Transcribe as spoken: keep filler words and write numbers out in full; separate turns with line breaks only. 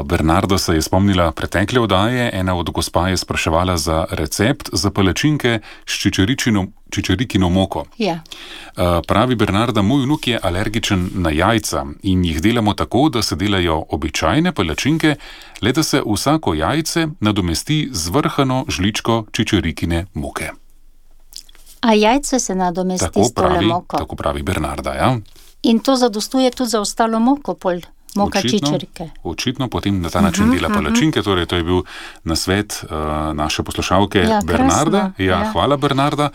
Bernarda se je spomnila pretekle oddaje, ena od gospa je spraševala za recept za palačinke s čičeričino, čičerikino moko.
Ja.
Pravi Bernarda, moj vnuk je alergičen na jajca in jih delamo tako, da se delajo običajne palačinke, le da se vsako jajce nadomesti z vrhano žličko čičerikine moke.
A jajce se nadomesti
tako
s tole
pravi,
moko.
Tako pravi Bernarda, ja.
In to zadostuje tudi za ostalo moko, pol moka
Očitno,
čičerike.
očitno potem na ta način uh-huh, dela palačinke, torej to je bil nasvet uh, naše poslušalke
Ja,
Bernarda.
krasno,
Ja,
ja.
hvala Bernarda.